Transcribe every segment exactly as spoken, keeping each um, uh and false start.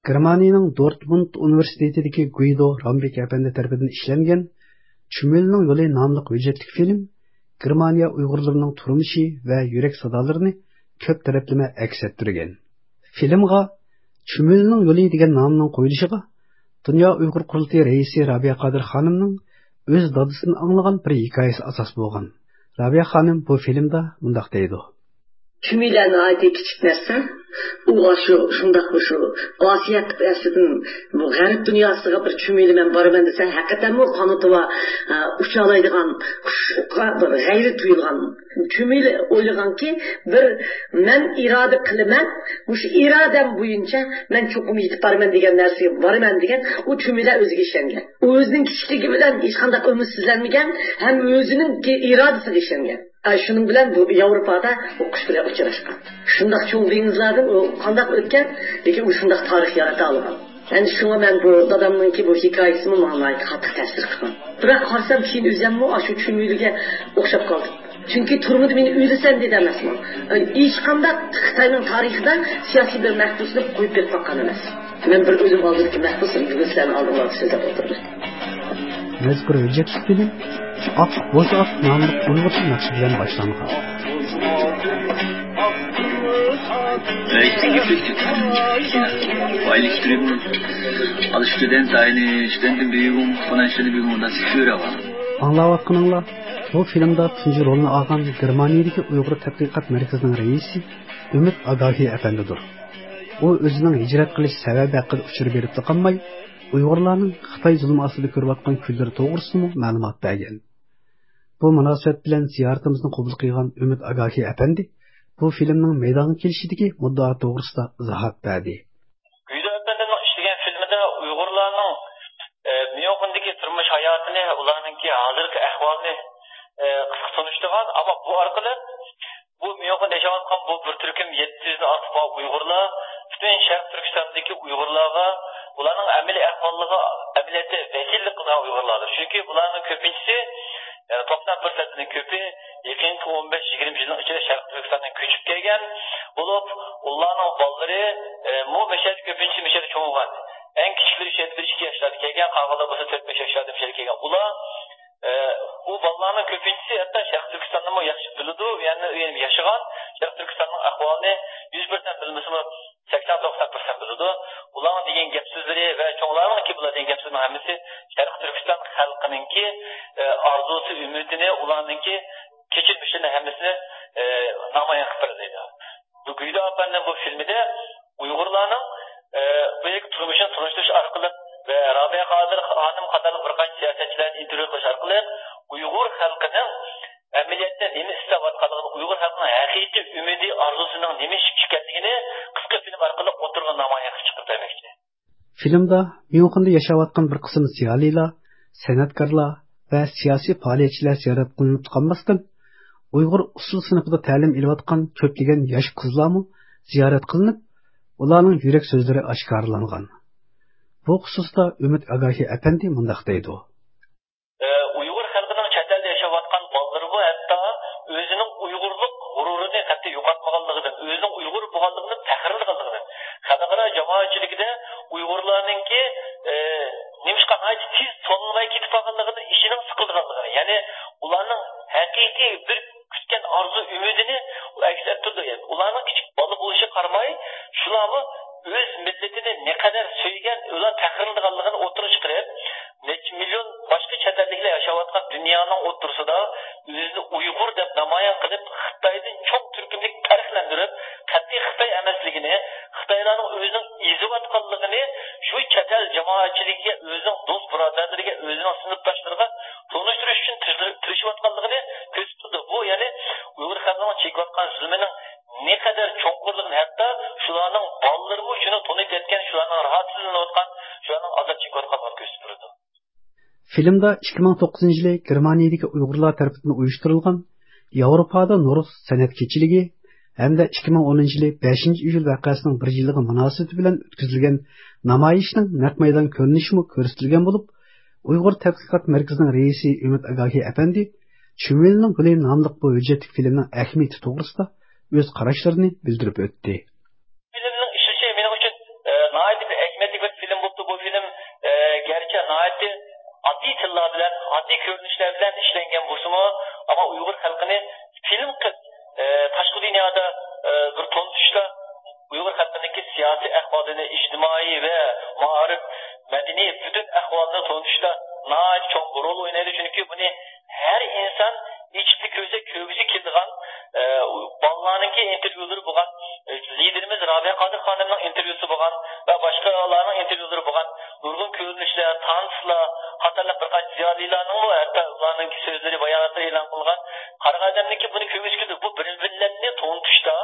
گېرمانىيەنىڭ دورتمۇند ئۇنىۋېرسىتېتىدىكى گۇيدو رامبېك ئەپەندى تەرىپىدىن ئىشلەنگەن چۈمۈلىنىڭ يولى ناملىق ھۆججەتلىك فىلىم گېرمانىيە ئۇيغۇرلىرىنىڭ تۇرمۇشى ۋە يۈرەك سادالىرىنى كۆپ تەرەپلىمە ئەكس ئەتتۈرگەن. فىلىمغا چۈمۈلىنىڭ يولى دېگەن نامنىڭ قويۇلۇشىغا دۇنيا ئۇيغۇر قۇرۇلتىيى رەئىسى رابىيە قادىر خانىمنىڭ ئۆز دادىسىدىن ئاڭلىغان بىر ھېكايىسى ئاساس بولغان. رابىيە خانىم بۇ فىلىمدا مۇنداق دەيدۇ. چۈمۈلە ناھايىتى كىچىك نەرسە. ئۇ شۇ، شۇنداق شۇ ئاسىيا قىتئەسىدىن بۇ غەرب دۇنياسىغا بىر چۈمۈلە مەن بارىمەن دېسە، ھەقىقەتەنمۇ قانىتى بار، ئە، ئۇچالايدىغان قۇشقا بىر غەيرىتى تۇيۇلغان. چۈمۈلە ئويلىغانكى، بىر مەن ئىرادە قىلىمەن، مۇشۇ ئىرادەم بويىچە مەن چوقۇم يېتىپ بارىمەن دېگەن نەرسىگە بارىمەن دېگەن، ئۇ چۈمۈلە ئۆزىگە ئىشەنگەن. ئۇ ئۆزىنىڭ كىچىكلىكى بىلەن ھېچقانداق ئۈمىدسىزلەنمىگەن ھەم ئۆزىنىڭ ئىرادىسىگە ئىشەنگەن. ئە، شۇنىڭ بىلەن بۇ ياۋروپادا ئۇ قۇش بىلەن ئۇچراشقان. شۇنداق چوڭ دېڭىزلاردىن ئۇ قانداق ئۆتكەن، لېكىن ئۇ شۇنداق تارىخ يارىتالىغان. ئەنە شۇڭا مەن بۇ دادامنىڭكى بۇ ھېكايىسىمۇ ماڭا ناھايىتى قاتتىق تەسىر قىلغان. بىراق قارىسام، كېيىن ئۆزۈممۇ ئاشۇ چۈمۈلىگە ئوخشاپ قالدىم. چۈنكى تۈرمىدە مېنى ئۆلىسەن دېدى ئەمەسمۇ. ئە، ھېچقانداق خىتاينىڭ تارىخىدا سىياسىي بىر مەھبۇسنى قويۇپ بېرىپ باققان ئەمەس. مەن بىر ئۆزۈم ئالدىدىكى مەھبۇسنى بۈگۈن سىلەرنىڭ ئالدىڭلاردا سۆزلەپ ئولتۇرىمەن. مەزكۇر ھۆججەتلىك فىلىم ئاق بوز ئاق ناملىق ئۇيغۇرچە ناخشا بىلەن باشلانغان. ئاڭلاۋاتقىنىڭلار، بۇ فىلىمدا تۇنجى رولنى ئالغان گېرمانىيەدىكى ئۇيغۇر تەتقىقات مەركىزىنىڭ رەئىسى ئۈمىد ئاگاھى ئەپەندىدۇر. ئۇ ئۆزىنىڭ ھىجرەت قىلىش سەۋەبى ھەققىدە ئۇچۇر بېرىپلا قالماي، ئۇيغۇرلارنىڭ خىتاي زۇلمى ئاستىدا كۆرۈۋاتقان كۈنلىرى توغرىسىدىمۇ مەلۇمات بەرگەن. بۇ مۇناسىۋەت بىلەن زىيارىتىمىزنى قوبۇل قىلغان ئۈمىد ئاگاھى ئەپەندى بۇ فىلىمنىڭ مەيدانغا كېلىشىدىكى مۇددىئا توغرىسىدا ئىزاھات بەردى. گۈيدە ئەپەندىمنىڭ ئىشلىگەن فىلىمىدا ئۇيغۇرلارنىڭ، ئە، ميۇنخېندىكى تۇرمۇش ھاياتىنى، ئۇلارنىڭكى ھازىرقى ئەھۋالىنى، ئە، قىسقا تونۇشتۇرغان، ئەمما بۇ ئارقىلىق بۇ ميۇنخېندا ياشاۋاتقان بۇ بىر تۈركۈم يەتتە يۈزدىن ئارتۇق بولغان ئۇيغۇرلار پۈتۈن شەرقىي تۈركىستاندىكى ئۇيغۇرلارغا، ئۇلارنىڭ ئەمەلىي ئەھۋالىغا ئەمەلىيەتتە ۋەكىللىك قىلىدىغان ئۇيغۇرلاردۇر. چۈنكى بۇلارنىڭ كۆپىنچىسى، يەنى توقسان پىرسەنتتىن كۆپى يېقىنقى ئون بەش يىگىرمە يىلنىڭ ئىچىدە شەرقىي تۈركىستاندىن كۆچۈپ كەلگەن بولۇپ، ئۇلارنىڭ بالىلىرى، ئە، مۇ مەشەدە كۆپىنچىسى مەشەدە چوڭ بولغان. ئەڭ كىچىكلىرى شۇ يەردە بىر ئىككى ياشلاردا كەلگەن، قالغانلار بولسا تۆت بەش ياشلاردا مەشەدە كەلگەن. ئۇلار، ئە، ئۇ بالىلارنىڭ كۆپىنچىسى ھەتتا شەرقىي تۈركىستاننىمۇ ياخشى بىلىدۇ، يەنى، يەنى ياشىغان، شەرقىي تۈركىستاننىڭ ئەھۋالىنى يۈز پىرسەنت بىلمىسىمۇ، سەكسەن توقسان پىرسەنت بىلىدۇ. ئۇلارنىڭ دېگەن گەپ سۆزلىرى ۋە چوڭلارنىڭكى بۇلار دېگەن گەپ سۆزلىرىنىڭ ھەممىسى شەرقىي تۈركىستان خەلقىنىڭكى، ئە، ئارزۇسى، ئۈمىدىنى، ئۇلارنىڭكى كەچۈرمىشىنى ھەممىسىنى، ئە، نامايان قىلىپ بېرىدۇ. بۇ گۈيدە ئاپەندىنىڭ بۇ فىلمىدە ئۇيغۇرلارنىڭ، ئە، بۇ يەردىكى تۇرمۇشىنى تونۇشتۇرۇش ئارقىلىق ۋە رابىيە قادىر خانىم قاتارلىق بىر قانچە سىياسەتچىلەرنى ئىنتېرۋيۇ قىلىش ئارقىلىق ئۇيغۇر خەلقىنىڭ ئەمەلىيەتتە نېمە ئىستەۋاتقانلىقىنى، ئۇيغۇر خەلقىنىڭ ھەقىقىي ئۈمىدى، ئارزۇسىنىڭ نېمە ئىش ئىكەنلىكىنى قىسقا فىلىم ئارقىلىق ئوتتۇرىغا نامايان قىلىپ چىقىپ بەرمەكچى. فىلىمدا ميۇنخېندا ياشاۋاتقان بىر قىسىم زىيالىيلار، سەنئەتكارلار ۋە سىياسىي پائالىيەتچىلەر زىيارەت قىلىنىپ قالماستىن، ئۇيغۇر ئۇسسۇل سىنىپىدا تەلىم ئېلىۋاتقان كۆپلىگەن ياش قىزلارمۇ زىيارەت قىلىنىپ، ئۇلارنىڭ يۈرەك سۆزلىرى ئاشكارىلانغان. بۇ خۇسۇستا ئۈمىد ئاگاھى ئەپەندى مۇنداق دەيدۇ. ئۇيغۇر خەلقىنىڭ چەت ئەلدە ياشاۋاتقان بالىلىرىمۇ ھەتتا ئۆزىنىڭ ئۇيغۇرلۇق غۇرۇرىنى قەتئىي يوقاتمىغانلىقىدىن، ئۆزىنىڭ ئۇيغۇر بولغانلىقىدىن پەخىرلىنىدىغانلىقىدىن، خەلقئارا جامائەتچىلىكىدە ئۇيغۇرلارنىڭكى، ئە، نېمىشقا ناھايىتى تېز تونۇلماي كېتىپ قالغانلىقىدىن ئىچىنىڭ سىقىلىدىغانلىقىنى، يەنى ئۇلارنىڭ ھەقىقىي بىر كۈتكەن ئارزۇ ئۈمىدىنى ئەكس ئەتتۈرىدۇ. يەنى ئۇلارنىڭ كىچىك بالا بولۇشىغا قارىماي، شۇلارمۇ ئۆز مىللىتىنى نەقەدەر سۆيگەن، ئۇلار پەخىرلىنىدىغانلىقىنى ئوتتۇرىغا چىقىرىپ، نەچچە مىليون باشقا چەت ئەللىكلەر ياشاۋاتقان دۇنيانىڭ ئوتتۇرىسىدا ئۆزىنى ئۇيغۇر دەپ نامايان قىلىپ، خىتايدىن چوڭ تۈركۈملۈك پەرقلەندۈرۈپ، قەتئىي خىتاي ئەمەسلىكىنى، خىتايلارنىڭ ئۆزىنىڭ ئېزىۋاتقانلىقىنى شۇ چەت ئەل جامائەتچىلىكىگە، ئۆزىنىڭ دوست بۇرادەرلىرىگە، ئۆزىنىڭ سىنىپداشلىرىغا تونۇشتۇرۇش ئۈچۈن تىرىشىۋاتقانلىقىنى كۆرسىتىدۇ. بۇ، يەنى ئۇيغۇر خەلقىنىڭ چېكىۋاتقان زۇلمىنىڭ نەقەدەر چوڭقۇرلۇقىنى، ھەتتا شۇلارنىڭ بالىلىرىمۇ شۇنى تونۇپ يەتكەن، شۇلارنىڭ راھەتسىزلىنىۋاتقان، شۇلارنىڭ ئازاب چېكىۋاتقانلىقىنى كۆرسىتىپ بېرىدۇ. فىلىمدا ئىككى مىڭ توققۇزىنچى يىلى گېرمانىيەدىكى ئۇيغۇرلار تەرىپىدىن ئۇيۇشتۇرۇلغان ياۋروپادا نورۇز سەنئەت كېچىلىكى ھەمدە ئىككى مىڭ ئونىنچى يىلى بەشىنچى ئىيۇل ۋەقەسىنىڭ بىر يىللىقى مۇناسىۋىتى بىلەن ئۆتكۈزۈلگەن نامايىشنىڭ نەق مەيدان كۆرۈنۈشىمۇ كۆرسىتىلگەن بولۇپ، ئۇيغۇر تەتقىقات مەركىزىنىڭ رەئىسى ئۈمىد ئاگاھى ئەپەندى چۈمۈلىنىڭ گۈلى ناملىق بۇ ھۆججەتلىك فىلىمنىڭ ئەھمىيىتى توغرىسىدا ئۆز قاراشلىرىنى بىلدۈرۈپ ئۆتتى. فىلىمنىڭ ئىشلىشى مېنىڭ ئۈچۈن، ئە، ناھايىتى بىر ئاددىي تىللار بىلەن، ئاددىي كۆرۈنۈشلەر بىلەن ئىشلەنگەن بولسىمۇ، ئەمما ئۇيغۇر خەلقىنى فىلىم قىلىپ، ئە، تاشقى دۇنيادا، ئە، بىر تونۇتۇشتا، ئۇيغۇر خەلقىنىڭكى سىياسىي ئەھۋالىنى، ئىجتىمائىي ۋە مائارىپ، مەدەنىي پۈتۈن ئەھۋالىنى تونۇتۇشتا ناھايىتى چوڭ رول ئوينايدۇ. چۈنكى بۇنى ھەر ئىنسان ئېچىپلا كۆرسە كۆرگۈسى كېلىدىغان، ئە، بالىلارنىڭكى ئىنتېرۋيۇلىرى بولغان، ئە، لىدېرىمىز رابىيە قادىر خانىمنىڭ ئىنتېرۋيۇسى بولغان ۋە باشقىلارنىڭ ئىنتېرۋيۇلىرى بولغان نۇرغۇن كۆرۈنۈشلەر، تانسلار قاتارلىق بىر قانچە زىيالىيلارنىڭمۇ ھەتتا ئۇلارنىڭكى سۆزلىرى، باياناتلىرى ئېلان قىلغان. قارىغان ئادەمنىڭكى بۇنى كۆرگۈسى كېلىدۇ. بۇ بىر مىللەتنى تونۇتۇشتا،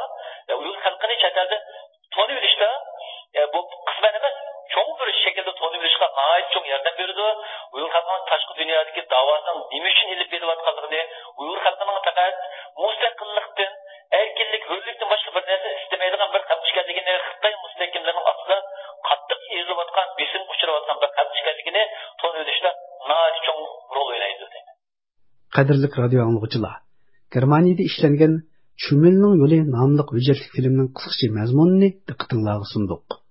ئە، ئۇيغۇر خەلقىنى چەت ئەلدە تونۇۋېلىشتا، ئە، بۇ قىسمەن ئەمەس، چوڭ بىر شەكىلدە تونۇۋېلىشقا ناھايىتى چوڭ ياردەم بېرىدۇ. ئۇيغۇر خەلقىنىڭ تاشقى دۇنيادىكى داۋاسىنىڭ نېمە ئۈچۈن ئېلىپ بېرىلىۋاتقانلىقىنى، ئۇيغۇر خەلقىنىڭ پەقەت مۇستەقىللىقتىن، ئەركىنلىك، ھۆرلۈكتىن باشقا بىر نەرسە ئىستىمەيدىغان بىر خەلق ئىكەنلىكىنى، خىتاي مۇستەھكىملىرىنىڭ ئاستىدا قاتتىق ئېزىلىۋاتقان، بېسىمغا ئۇچراۋاتقان بىر خەلق ئىكەنلىكىنى تونۇۋېلىشتا ناھايىتى چوڭ رول ئوينايدۇ. قەدىرلىك رادىيو ئاڭلىغۇچىلار، گېرمانىيەدە ئىشلەنگەن چۈمۈلنىڭ يولى ناملىق ھۆججەتلىك فىلىمنىڭ قىسقىچە مەزمۇنىنى دىققىتىڭلارغا سۇندۇق.